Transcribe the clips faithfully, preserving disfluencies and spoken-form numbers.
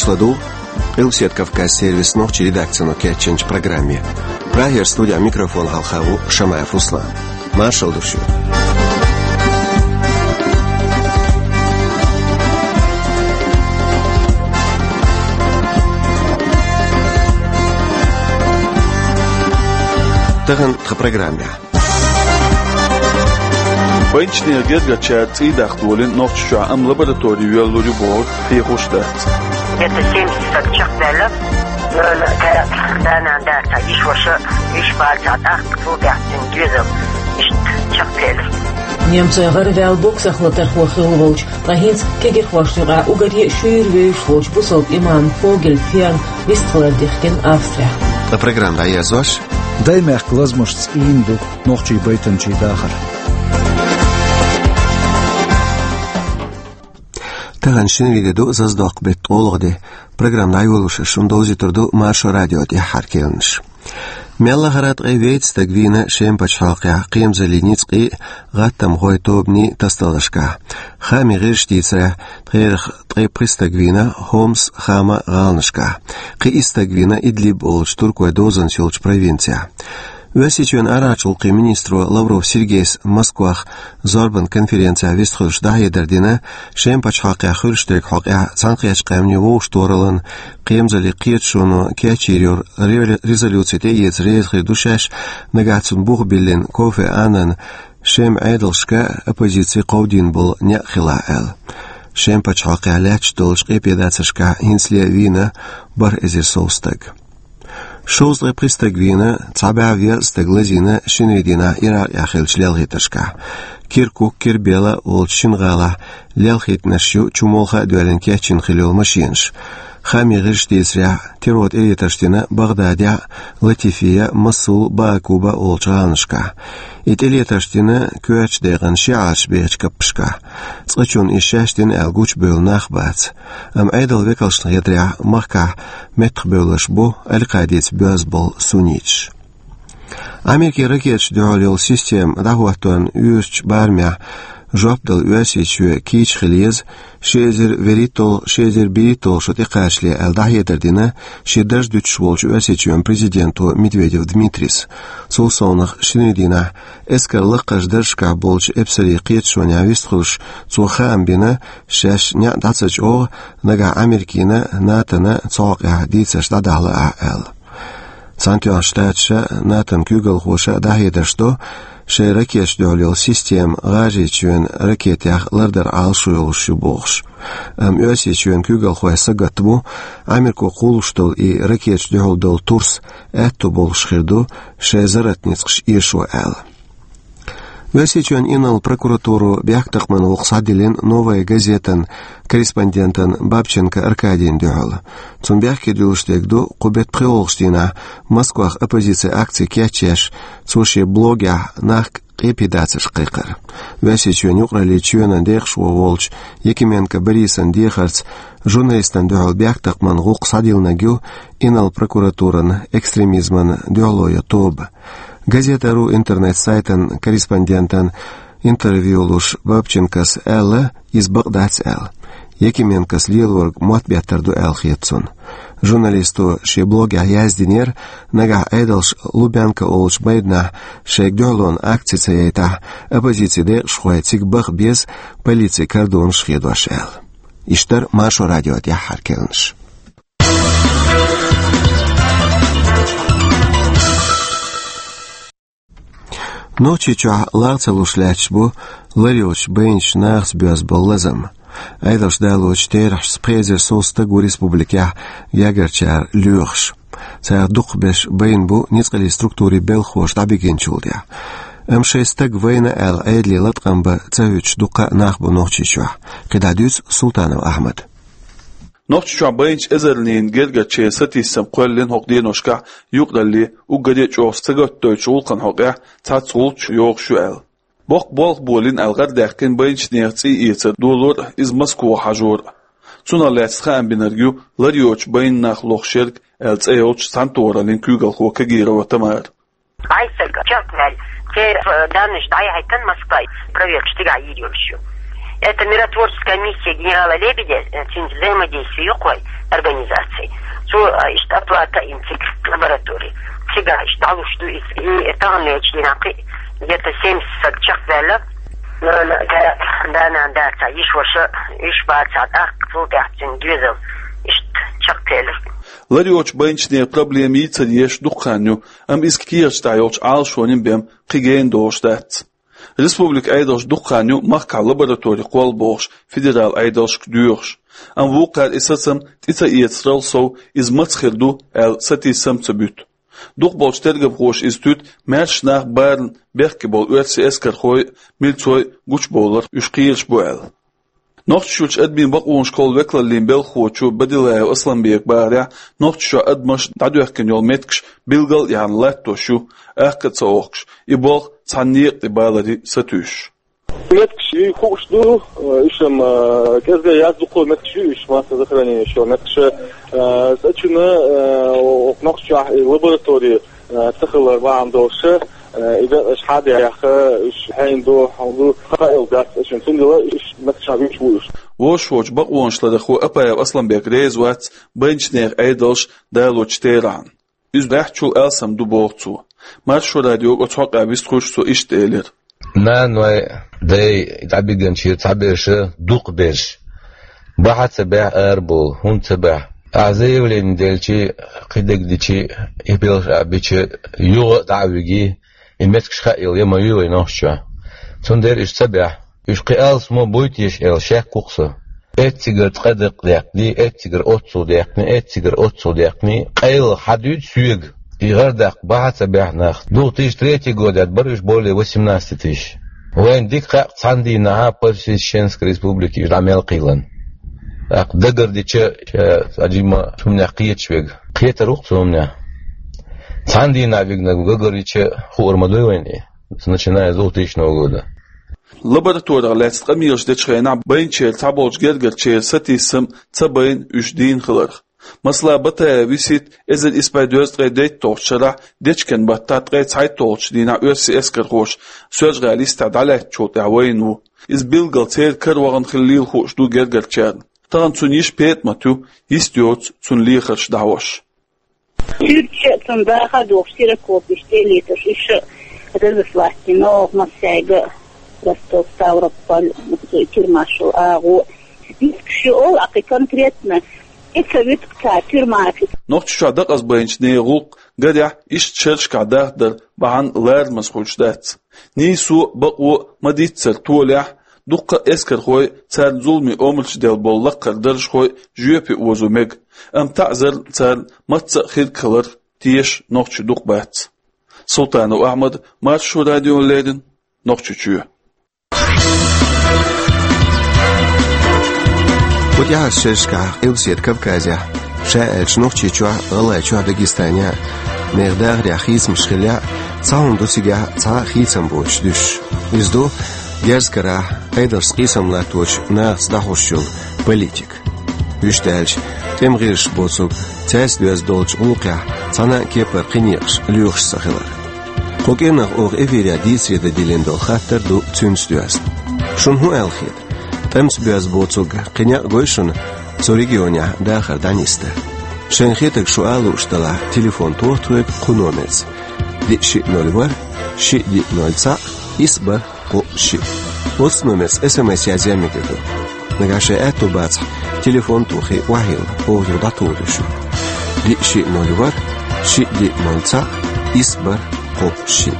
Ладу Къилбаседа Кавказ сервисан нохчийн редакцино кечйинчу программе. Прагера студин микрофона хьалха ву Шамаев Руслан. Маршалла ду шуьга. Тахана тхан программехь. Байначеран гергарчара цӀий дахка волийна Нохчийчохь, амма лаборатори йоьллур ю бохург хьехош дац. Где-то семьдесят стаг чекхдаьлла. Нана, тӀаккха да-нана дацахь, йиша-ваша, йиша бацахь, тӀаккха цул тӀаьхьа цуьнан доьзал иштта чекхдаьлла. Немцойн гӀараваьлла боксехь латархо хилла волчу, ткъа хӀинца кегийрхошна юкъахь уггаре а шуьйра вевзаш волчу бусалба имам Фогель Фиан вистхилар дихкина Австрехь. Ткъа программа дӀаерзош: Даймехкан лазамашца ийна ду нохчийн байтанчийн дахар. Тахана шинарин де ду, Зазадоккху беттан ткъолгӀа де. Программа дӀайолош шуна довзуьйтур ду Маршо радион тӀаьххьара кхаьънаш. Мел лахара ткъе вейтта стаг вийна Шеман пачхьалкхехь кхерамзаллин ницкъийн а, гӀаттамхойн тобанийн а тасадаларшкахь. Хаамийн гӀирсаша дийцарехь, тхерах ткъе пхи стаг вийна Хомс, Хама гӀаланашкахь. Кхин исс стаг вийна Идлиб олучу туркойн дозанца йолчу провинцехь. Оьрсийчоьнан арахьарчу гӀуллакхийн министро Лавров Сергейс Москвахь зорбанан конференцехь вистхуьлуш дӀахьедар дина Шеман пачхьалкхехь хуьлуш дерг хьокъехь Цхьаьнакхеттачу Къаьмнийн вовшахтохараллин кхерамзаллин кхеташоно кечйийр йолу ре-, резолюци тӀеэца реза хир ду шаьш, нагахь цунна бух биллина кофе Аннан Шеман Ӏедалшка, оппозици кховдийна болу некъ хилахь аьлла. Шеман пачхьалкхехь лаьтташ долчу къепедацаршкахь хӀинцале а вийна бархӀ эзар сов стаг. Шовзткъе пхи стаг вийна цхьа бӀе верхӀ стаг лазийна шинарин дийнахь Иракъехь хиллачу лелхийтаршкахь. Киркук, Кербела олучу шина гӀалахь лелхийтинарш ю чу молха а доьллина кечйина хилла йолу машенаш. Хаамийн гӀирсаша дийцарехь, террор тӀелетарш дина БагӀдадехь, Латифия, Масул, Баакуба олучу гӀаланашкахь. И тӀелетарш дина коьртачу декъана шиӀаташ бехачу каппашкахь. Цкъачунна иза шаьш дина аьлла гучубевлла нах бац. Амма Ӏедалан векалшна хетарехь, махкахь меттахбевлларш бу Аль-Къаидица боьзна болу сунниташ. Америкин ракеташна дуьхьал йолу система дӀахӀоттарна уьйрачу барамехь жоп дала Оьрсийчоь кийча хила еза, ши эзар вуьрхӀитталгӀа, ши эзар берхӀитталгӀа шо тӀекхачале аьлла дӀахьедар дина шен дарж дуьтуш волчу Оьрсийчоьнан президенто Медведев Дмитрийс. Цул совнаха шинарин дийнахь эскаран лакхарчу даржашкахь болчу эпсарийн кхеташонехь вистхуьлуш, цо хаам бина, шаьш неӀ дӀа ца чӀогӀу, нагахь Америкина, НАТОна цу хьокъехь дийцарш дӀадахьа лаахь аьлла. Цхьаьнатоьхначу Штаташа, НАТОн куьйгалхоша дӀахьедарш до, шайн ракеташна дуьхьал йолу система ГӀажарийчоьнан ракетех лардар Ӏалашо йолуш ю бохуш. Амма Оьрсийчоьнан куьйгалхой сагатта бу, Америко кхуллуш долу и ракеташна дуьхьал долу турс аьтто болуш хир ду шайн зарратан ницкъаш эшо аьлла. Оьрсийчоьнан инарла прокуратуро бехктакхаман гӀуллакх схьадиллина «Новая газетан» корреспондентана Бабченко Аркадийна дуьхьал. Цунна бехке дуьллуш дерг ду, кху беттан пхоьалгӀачу дийнахь Москвахь оппозицин акци кечъеш, цо шен блогехь нах къепедацаршка кхайкхар. Оьрсийчоьнан юкъараллин чоьнан декъашхо волчу Якименко Борисан дехарца журналистана дуьхьал бехктакхаман гӀуллакх схьадиллинарг ю инарла прокуратуран экстремизмана дуьхьало йо тоба. Газета.ру интернет-сайтан корреспондентана интервью луш Бабченкос аьлла, иза бакъ дац аьлла. Якименкос лелориг мотт беттар ду аьлла хета цунна. Журналисто шен блогехь яздинера, нагахь Ӏедалша Лубянка олучу майданахь шайга дуьхьалонан акци ца яйтахь, оппозицин декъашхой цига баха беза, полицин кордонаш хедош аьлла. Иштта дара Маршо радион тӀаьххьара кхаьънаш. Нохчийчохь лагӀ ца луш лаьтташ бу ларйоцуш байначу нахаца боьзна болу лазам. Ӏедалша далочу терахьашца пхи эзар сов стаг ву республикехь гергарчара лоьхуш. Царах дукхахберш байна бу ницкъаллин структурийн белхахоша дӀабигинчул тӀаьхьа. Амма шайн стаг вайна аьлла Ӏедале латкъам бан ца хӀуьттуш дуккха а нах бу Нохчийчохь. КхидӀа дуьйцу Султанов Ахьмада. Нохчийчохь байначу эзарнийн гергарчеран сатийсам кхоьллина хӀокху деношкахь юкъаралле уггаре а чӀогӀа сагатдойтучу гӀуллакхан хьокъехь цхьацца гӀулч йохуш ю аьлла. Боккха болх болийна аьлла гӀарадаьккхина байначу нехан цӀий эцар долор а, иза Москва хьажор а. Цунах лаьцна хаам бинарг ю ларйоцуш байна нах лохуш ерг аьлла цӀе йолчу цхьаьнатохараллин куьйгалхо Кагирова Тамара. Ӏай стаг чекхваьлла, церан данныйш дӀаяхьийтина Москвахь, проверкаш цигахь йийр йолуш ю. И Это миротворческая миссия генерала Лебедя, э, цуьнца взаимодействие юкъой организации. Цо, э, иштта оплата им цига лаборатории. Цига иштта дӀалуш ду иза. И таханлерчу дийнахь кхин где-то семьдесят саг чекхдаьлла. Нана, да, да, нана, да, цхьа йиша-ваша, йиша-баца, тӀаккха цул тӀаьхьа цуьнан доьзал. Иштта чекхдаьлла. Лар йоцчу байначеран проблема йийцар еш дукха хан ю, амма иза кехаташ тӀехь йолчу Ӏалашонийн бен кхин гена долуш дац. Республикан Ӏедалш дукха хан ю махкахь лаборатори кхолла бохуш федералан Ӏедалшка доьхуш. Амма вукхара и сацам тӀе ца эцарал сов, иза маца хир ду аьлла, сатийсам а ца буьту. Дукхахболчу тергамхоша иза туьту маьрша нах барна бехке болу оьрсийн эскархой а, милцой а гучубовлар уьш кхераш бу аьлла. Нохчийчуьрчу адамийн бакъонашкахула векалаллин белхахочо Бадилаев Асланбека бахарехь, Нохчийчохь адамаш дӀадоьхкина йолу меттигаш билгал а яхна латтош ю, акха а ца охкуш, и болх цхьана некъа тӀе баларе сатуьйсуш. Меттигаш хууш ду, уьш-м, а, кӀезга яц, дукха меттигаш ю уьш, массового захоронения ю меттигаш, а, цӀа чуьра, а, оха Нохчийчохь и лаборатори, а, ца хилар бахьана долуш, а, и дакъа аша хьа а даьхна, уьш хьенан ду, хьан ду, хаийла дац аша, цундела уьш меттигаш вуьйцуш ву уьш. Вовшахволчу бакъонашларъярхо Апаев Асланбек реза вац байначеран Ӏедалша далочу терахьна. Иза баьхначул алсам ду, боху цо. Маршо радиога оцу хьокъехь вистхуьлуш цо иштта элира: Наной, дай дӀабигинчу цхьаберш, дукхахберш бахьа ца баьхьа арабовла, хӀунда ца баьхьа? Ахьа заявлени делча, кхидерг дича, и белхаш а бича, юха а дӀа а виги, и меттигаш хаийла я ма юй вайн Нохчийчохь. Цундела уьш ца баьхьа. Уьш кхин алсамо буй теша аьлла шек ву-кх со. Эццигара ткъа дакъа даьккхина, эццигара оццул даьккхина, эццигара оццул даьккхина, къайлаха хьан дуьйцу соьга? И гӀар даккха бахьа ца баьхьа нах. Две тысячи третий годехь бара уьш более восемнадцати тысяч. Вайна дика хаьа, цхьана дийнахьа по всей Чеченской Республике уьш дӀа мел кхийлина. ТӀаккха дагарча, ша цхьа жимма хӀуманех кхеташ верг кхетар ву-кх цу хӀуманех. Цхьана дийнахь вигнарг дагарча хуур ма дуй вайна и, начиная с двухтысячного года. Лабораторех лаьцна къамелаш дечу хенахь байначеран цхьаболчу гергарчеран сатийсам ца байна уьш дийна хиларх. Масала, Батаев Висит эзар исс бӀе дезткъе дейтталгӀачу шарахь дечкен баттахь ткъе цхьайтталгӀачу дийнахь оьрсийн эскархоша Соьлжа-ГӀалин йистехь дӀалаьцначул тӀаьхьа вайна ву. Иза билггал церан кара вахана хилла лела хууш ду гергарчарна. Тахана цуьнан йиша ПетӀамат ю, йист йоцу цуьнан лехарш дӀахьош. Суьрташ а, цуьнан дахар а дохуш, ксерокопеш тӀе а летош, уьш а разослать дина оха массаьрга а, Ростов, Ставрополь, тюрьмаш йолу агӀо. Меттигаш ю олу, а кхин конкретно и ца вуьту-кх цара тюрьмаш. Нохчийчохь декъазбайначу нехан гӀуллакх, гарехь, иштта шерашкахь дахдар бахьана ларамаза хуьлуш дац. Нийсо а, бакъо а ма-дийццара толехь, дуккха а эскархой а, царна зуламийн омраш делла болу лакхара даржхой а жоьпе озо мега, амма таӀзарна царна мацца а хирг хилар теша нохчий дукха бац. Султанов Ахьмад, Маршо радиона леррина, Нохчийчоь. Кху тӀаьхьарчу шерашкахь Къилбаседа Кавказехь, ша аьлча Нохчийчохь а, ГӀалгӀайчохь а, Дагестанехь а, нехан дахарехь хийцамаш хиллехь а, цхьа хӀума ду цигахь цхьа а хийцам боцуш дуьсуш. Иза ду герз карахь, Ӏедалшца къийсам латточу нахаца дӀахьош йолу политика. Вуьшта аьлча, тӀеман гӀирсаша боцург, цаьрца доьзна долчу гӀуллакхехь цхьана а кепара кхин некъаш лоьхуш ца хилар. Кху кӀиранах оха эфирехь дийцаре дан диллина долу хаттар ду цуьнца доьзна. Шуна хӀун аьлла хета? ТӀемца боьзна боцург кхин некъ гой шуна цу регионехь дахар дӀанисдан? Шайна хетарг шу ала лууш делахь, телефон тоха тхоьга кху номерца: диъ шиъ ноль ворхӀ, шиъ диъ ноль цхьаъ, исс бархӀ кхоъ шиъ. Оцу номерца эс эм эс язъян мегар ду. Нагахь шайн аьтто бацахь, телефон а тухий, охьайилла, оха юха дӀатухур ю шу. Диъ шиъ ноль ворхӀ, шиъ диъ ноль цхьаъ, исс бархӀ кхоъ шиъ.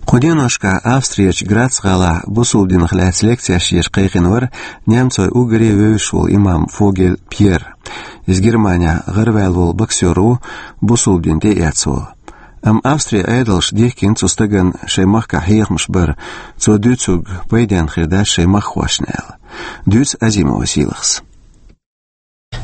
Кху деношкахь Австрерчу Грац-гӀалахь бусалба динах лаьцна лекцеш еш кхайкхина вара немцойн уггаре вевзаш волу имам Фогель Пьер. Иза Германехь гӀараваьлла волу боксёр ву, бусалба дин тӀеэцна волу. Амма Австрин Ӏедалша дихкина цу стагана шайн махкахь хьехамаш бар, цо дуьйцург пайденна хир дац шайн махкахошна аьлла. Дуьйцу Азимова Сийлахьас.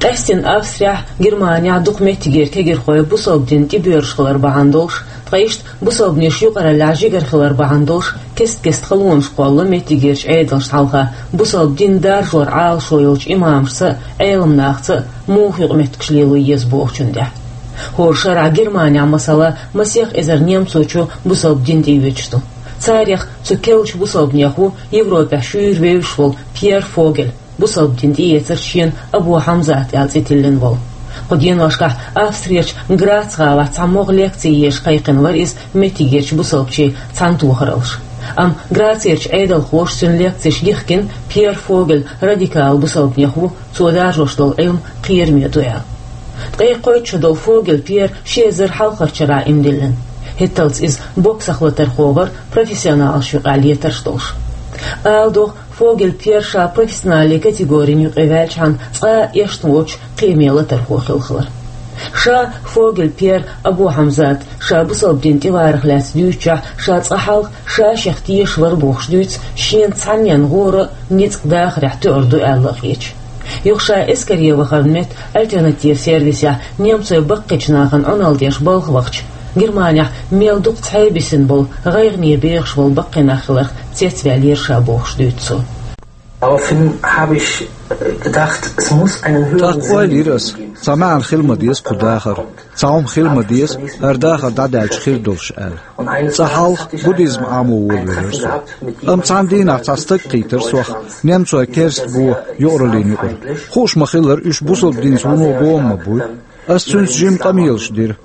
Къаьстина Австрехь, Германехь дукха меттигера кегирхой бусалба дин тӀебоьрзуш хилар бахьана долуш, ткъа иштта бусалбанийн юкъараллехь жигара хилар бахьана долуш, кест-кеста халонаш кхолла меттигерчу Ӏедалшна хьалха, бусалба дин даржор Ӏалашо йолчу имамашца а, Ӏеламнахца а муха юкъаметтигаш лело еза бохучун тӀехь. ХӀора шарахь Германехь, масала, масех эзар немцочо бусалба дин тӀеоьцуш ду. Царех цу керлачу бусалбанех ву Европехь шуьйра вевзаш волу Пьер Фогель, бусалба дин тӀеэцарца шена Абу Хьамзат аьлла цӀе тиллина волу. Кху деношкахь Австрерчу Грац-гӀалахь цхьа могӀа лекци езаш кхайкхина вара иза меттигерчу бусалбачийн цхьаьнатохараллаш. Амма Грацерчу Ӏедалхоша цуьнан лекцеш дихкина, Пьер Фогель радикал бусалбанех ву, цо даржош долу Ӏилма кхераме ду аьлла. Ткъе кхойтта шо долу Фогель Пьер ши эзар хьалхарчу шарахь иман диллина. ХӀетталц иза боксах латархо вара, профессионалаш юкъахь летарш долуш. Ала догӀу, Фогель Пьер ша профессионале категорин юкъе ваьлчхьана цкъа а эшна воцуш кхиаме латархо хилла хилар. Ша Фогель Пьер Абу Хьамзат ша бусалба дин тӀеварах лаьцна дуьйцучохь, ша цкъа хьалха ша шех тешаш вара бохуш дуьйцу, шена цхьаннен гӀора а ницкъ дахарехь тоьар ду аьлла а хеташ. Юха ша эскаре вахаран метта альтернатива сервисехь немцойн баккхийчу нахана Ӏуналла деш балха вахча, Германехь мел дукха цхьаьна бисина болу, гӀайгӀане бехаш болу баккхий нах хиларх цецваьллера ша бохуш дуьйцу цо. Daraufhin habe ich, äh, gedacht, es muss einen höheren ТӀаккха ойла йира ас, цхьа маьӀна хила ма деза кху дахар. Цхьа хӀума хила ма деза, хӀара дахар дӀадаьлча хир долуш аьлла. Цкъа хьалха буддизм Ӏамо волавелира со. Амма цхьана дийнахь цхьа стаг кхийтира сох, немцойн керста го юкъараллина юкъара. Хууш ма-хиллара, уьш бусалба динца вуно гома ма буй. Ас цуьнца жимма къамелаш дира.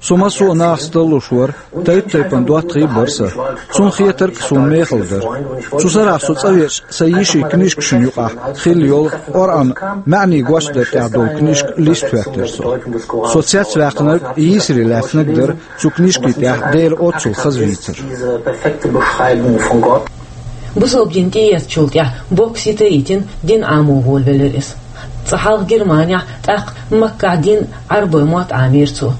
Со массо а нахаца таллуш вара, тайп-тайпана доттагӀий а бара сан. Цунна хетарг суна мехала дара. Цу сарахь со цӀа веача, сайн йишин книжкашна юкъахь хилла йолу Къуръан маьӀнийн гочдар тӀехь долу книжка листа хӀоьттира со. Со цецваьккхинарг йийсаре лаьцнарг дара, цу книжкийн тӀехь Делан оццул хаза вийцар. Бусалба дин тӀеэцначул тӀаьхьа бокс йита а йитина, дин Ӏамо волавелира иза. Цкъа хьалха Германехь, тӀаккха Маккахь дин Ӏарбойн мотт Ӏамийра цо.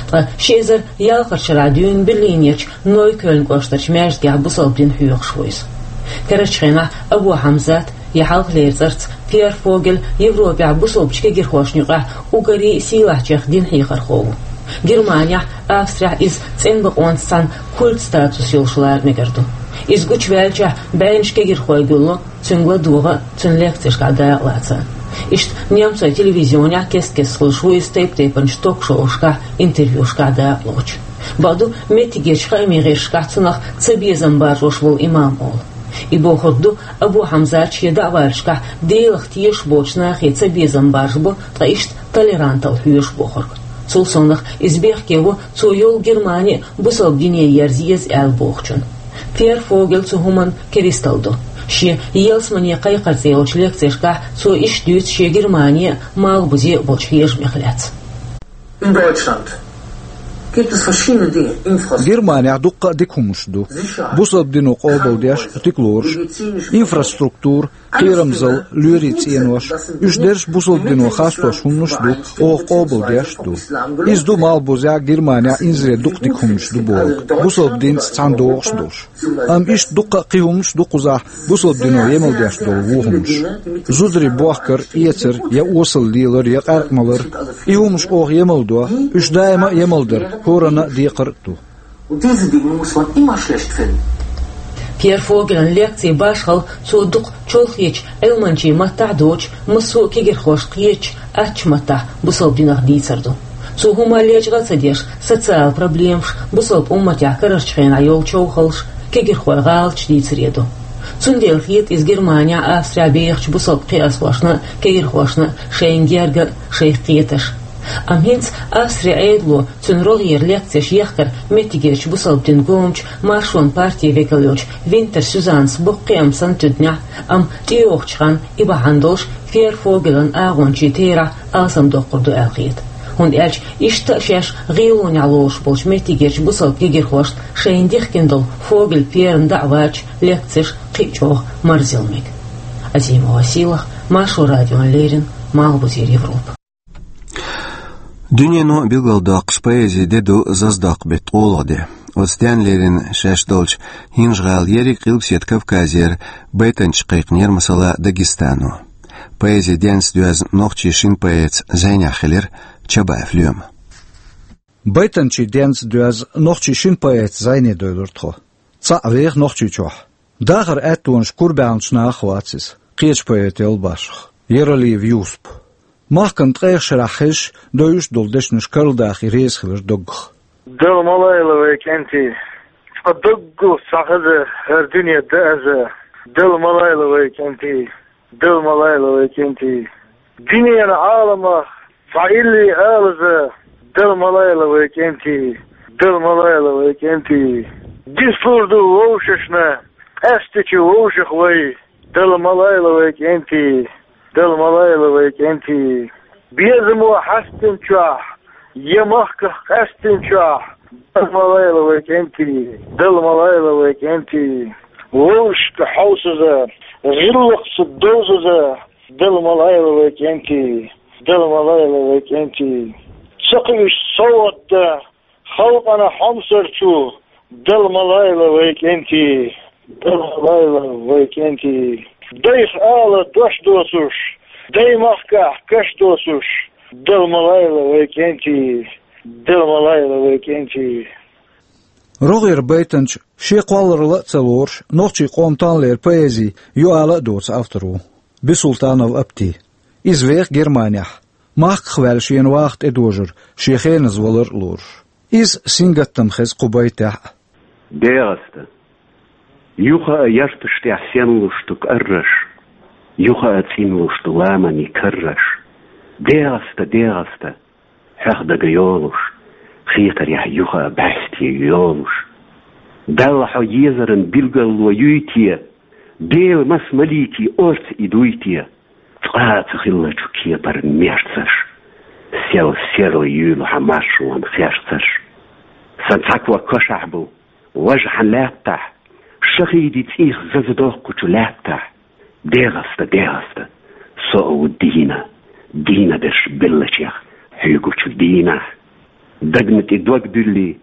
Ткъа ши эзар ялхарчу шарахь дуьйна Берлинерчу Нойкёльн кӀоштарчу маьждигехь бусалба дин хьоьхуш ву иза. Карарчу хенахь Абу Хьамзат, я хьалхалера цӀарца Пьер Фогель, Европехь бусалбачу кегирхошна юкъахь уггаре а сийлахьчех дин хьехархо ву. Германехь, Австрехь иза цӀена бакъонца цхьаьна культ статус йолуш лара мегар ду. Иза гучуваьллачохь бӀеннаш кегирхой гулло, цуьнга ладогӀа а, цуьнан лекцешкахь дакъалаца а. Иштта немцойн телевизионехь кест-кеста хуьлуш ву иза тайп-тайпанчу ток-шоушкахь, интервьюшкахь дакъалоцуш. Бакъду, меттигерчу хаамийн гӀирсашкахь цунах цабезам баржош волу имам олу. И бохург ду, Абу Хьамзат шен даӀваташкахь Делах тешаш боцучу нахе цабезам баржабо, ткъа иштта толерантал хьоьшу бохург. Цул совнаха, иза бехке ву цо йолу Германи а бусалба дине ерза еза аьлла бохучун. Пьер Фогель цу хӀуманна керистал ду. Шен «Ялсамане кхайкхар» цӀе йолчу лекцешкахь цо иштта дуьйцу шен Германи а, Малхбузе а болчу хьежамех лаьцна. In Deutschland gibt es verschiedene Dinge, Infrastruktur. Германехь дуккха а дика хӀуманаш ду. Бусалба дино къобалдеш, дика лоруш. Инфраструктура, кхерамзалла, лоьрийн цӀенош. Уьш дерриш бусалба дино хастош хӀуманаш ду, оха къобалдеш а ду. Иза ду Малхбузехь, Германехь инзаре дукха дика хӀуманаш ду бохург, бусалба динца цхьаьна догӀуш а долуш. Амма иштта дуккха а кхин хӀуманаш а ду кхузахь, бусалба дино емал деш долу вон хӀуманаш. Зударий бохкар, эцар, я осал лелар, я къаьркъа малар. И хӀуманаш оха емал до, уьш даима а емал дар хӀоранна а декхар а ду. Und diese Dinge muss man immer schlecht finden. Пьер Фогелан лекцийн башхалла цо дукха чолхечу Ӏилманчийн маттахь а доцуш, массо а кегирхошна кхетачу аттачу маттахь бусалба динах дийцар ду. Цо хӀума лечкъа а ца деш, социал проблемаш, бусалба умматехь карарчу хенахь йолу човхаллаш, кегирхойн гӀалаташ дийцаре ду. Цундела хета иза Германехь, Австрехь бехачу бусалба кхиазхошна а, кегирхошна а шайна герга а, шайх кхеташ а. Амма хӀинца Австрин Ӏедало цуьнан рогӀера лекцеш ехкар меттигерчу бусалба динан гомачу Маршонан партин векал йолчу Винтер Сюзаннас боккха кхиам санна туьдинехь а, амма тӀейогӀучу ханна и бахьана долуш Пьер Фогелан агӀончийн терахь алсамдоккхур ду аьлла хета. ХӀунда аьлча иштта а шаьш гӀелонехь лоруш болчу меттигерчу бусалба кегирхошна шайна дихкина долу Фогель Пьеран даӀваташ, лекцеш кхин а чӀогӀа марзъяла мега. Азимова Сийлаха, Маршо радиона леррина, Малхбузера Европа. Дуьнено билгалдоккхуш поэзин де ду заздоккху беттан ткъолгӀа де. Оцу денна леррина шаьш долчу ХӀинжа-ГӀала ерриг Къилбаседа Кавказера байтанчаш кхайкхинера, масала, Дагестано. Поэзин денца доьзна нохчийн шина поэтца зӀенехь хилира Чабаев Лоьма. Байтанчийн денца доьзна нохчийн шина поэтца зӀене девлира тхо. Цхьаъ веха Нохчийчохь. Дахаран аьттонаш кура баьхначу нахах вац иза, кхечу поэтал башха. Яралиев Юсуп. Махкана ткъех шарахь хезаш, довзуш долу дешнаш карладахийта реза хилар доггах. Дала ма лойла вай кӀентий, цкъа доггах цхьа хаза, хӀара дуьне дан аза. Дала ма лойла вай кӀентий, Дала ма лойла вай кӀентий. Дуьненан Ӏаламах цхьа илли алаза, Дала ма лойла вай кӀентий, Дала ма лойла вай кӀентий. Дислур ду вовшашна къаьстачу вовшах вай, Дала ма лойла вай кӀентий, Дала ма лойла вай кӀентий. Безамо хьаьстина чохь, я махках къаьстина чохь, Дала ма лойла вай кӀентий, Дала ма лойла вай кӀентий. Вовшашка хьовсаза, гӀиллакхца довзаза, Дала ма лойла вай кӀентий, Дала ма лойла вай кӀентий. Ца кхуьуш совгӀат дан халкъана хьомсарчу, Дала ма лойла вай кӀентий, Дала ма лойла вай кӀентий. Дайх ала дош доцуш, дай махкахь каш доцуш, Дала ма лойла вай кӀентий, Дала ма лойла вай кӀентий. РогӀера байтанча, шен кхолларалла а ца лоруш, нохчийн къоман тӀанлера поэзи юкъала а доцу автор ву Бисултанов Апти. Иза веха Германехь, махках ваьлла шена ваха тӀедожар, шен хеназа валар а лоруш. Иза сингаттам хеза кху байтехь а. ДегӀаста. Юха а ярташ тӀехь сенлуш ду кӀарраш, юха а цӀинлуш ду ламанийн карраш. ДегӀаста, дегӀаста, хьох дага йолуш, хетарехь юха а бӀаьсте йолуш. Далла хьо езаран билгалло юй те, Делан маса маликийн орца и дуй те? Цкъа а ца хиллачу кепара мерцаш, сел серла юьйлу хьан маршонан херцаш. Сан цхьа ког кошахь бу, важа хьан лаьттахь, шахиди цӀийх заза доккхучу лаьттахь. ДегӀаста, дегӀаста, со а ву дийна, дийна берш беллачех хьоьгучу дийнахь. Дагна тӀе дог дуьллий,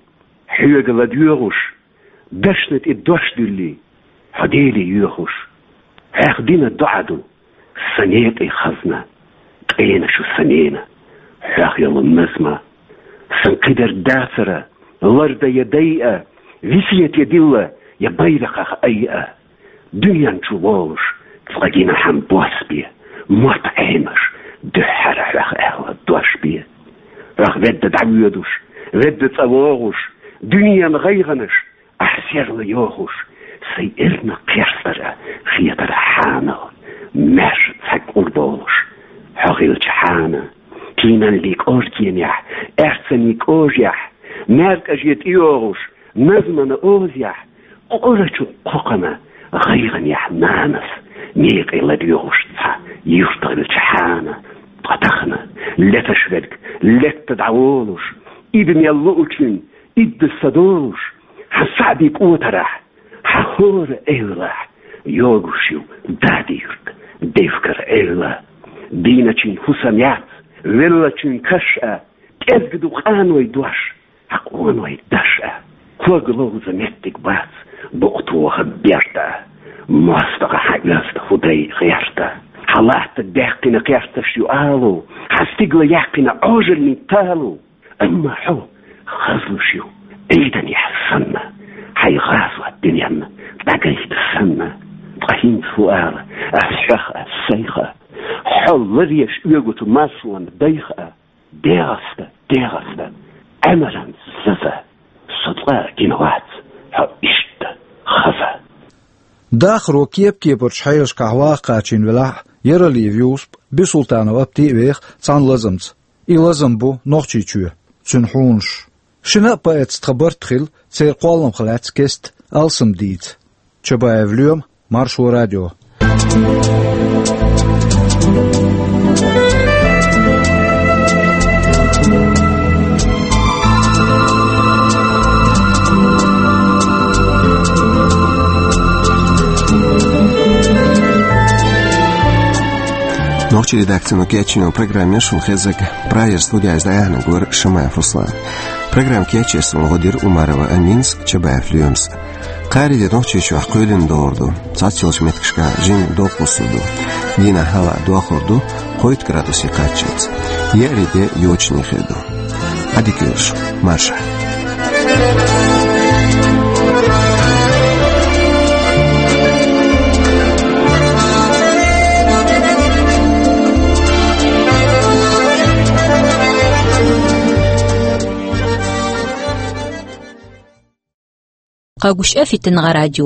хьоьга ладоьгӀуш, дашна тӀе дош дуьллий, хьо Деле йоьхуш. Хьех дина доӀа ду сан некъий хазна, къена шу сан нена, хьох йолу назма. Сан кхидерг дацара, ларда я дайа, весет я дилла, я байракхах айа. Дуьнен чу волуш, цкъа гина хьан бос бе, мотт Ӏемаш, дуьххьара хьох аьлла дош бе. Хьох ведда дӀавоьдуш, ведда цӀа вогӀуш, дуьненан гӀайгӀанаш ахь серла йохуш, сайн эрна кхерстара хетара хьанал, маьрша цхьаьг къурболуш, хьо хилча хьана, кийналлий кӀоркенехь, аьрцанний кӀожехь, маьркӀаже тӀейогӀуш, назмана озехь, къурачу кхокхана гӀайгӀанехь нанас, некъе ладоьгӀуш цхьа юрт хилча хьана, ткъа тахана леташ верг летта дӀаволуш, ида мел луучун, идда са долуш, хьан саӀди кӀотарахь, хьан хӀора эвлахь, йогуш ю Дади-Юрт, Девкар эвла. Дийначун хӀусам яц, веллачун каш а, кӀезга ду къаной дош, хьан къоной даш а. Ког ловза меттиг бац, букъ тоха берда, мостагӀа хьан оьзда хӀу дай гӀерта. Хьан латта даьккхина кхерсташ ю алу, хьан стигла яьккхина Ӏожаллин талу. Амма хьо хазлуш ю Ӏийданехь санна, хьайн гӀазот дуьненна дӀагайта санна. Ткъа хӀинца хӀу ала ас хьох а, сайх а, хьо ларъеш оьгучу маршонан дайх а? ДегӀаста, дегӀаста, Ӏемаран заза, со цкъа а гина вац хьо иштта хаза. Дахаро кеп-кепарчу хьелашкахь ваха кхачийна велахь а, Яралиев Юсуп а, Бисултанов Апти а веха цхьана лазамца. И лазам бу Нохчийчоь, цуьнан хьунаш. Шина а поэтца тхан барт хилла, церан кхолламах лаьцна кеста алсам дийца. Чабаев Лоьма, Маршо радио. Нохчийн редакцино кечйина программа шуна хезнарг. Прагера студехь иза дӀаяьхьнарг вара Шамаев Руслан. Программа кечъеш суна гӀо дира Умарова Аминас, Чабаев Лоьмас. Кхаарин де Нохчийчохь кхоьлина догӀур ду. Цхьацца йолчу меттигашкахь жимма доккха хӀусам ду. Дийнахь хӀаваъ дохур ду кхойтта градусе кхаччалц. Еарин де йочане хир ду. Ӏадика йойла шун, марша. КъэгущыӀэ фитыныгъэ радио.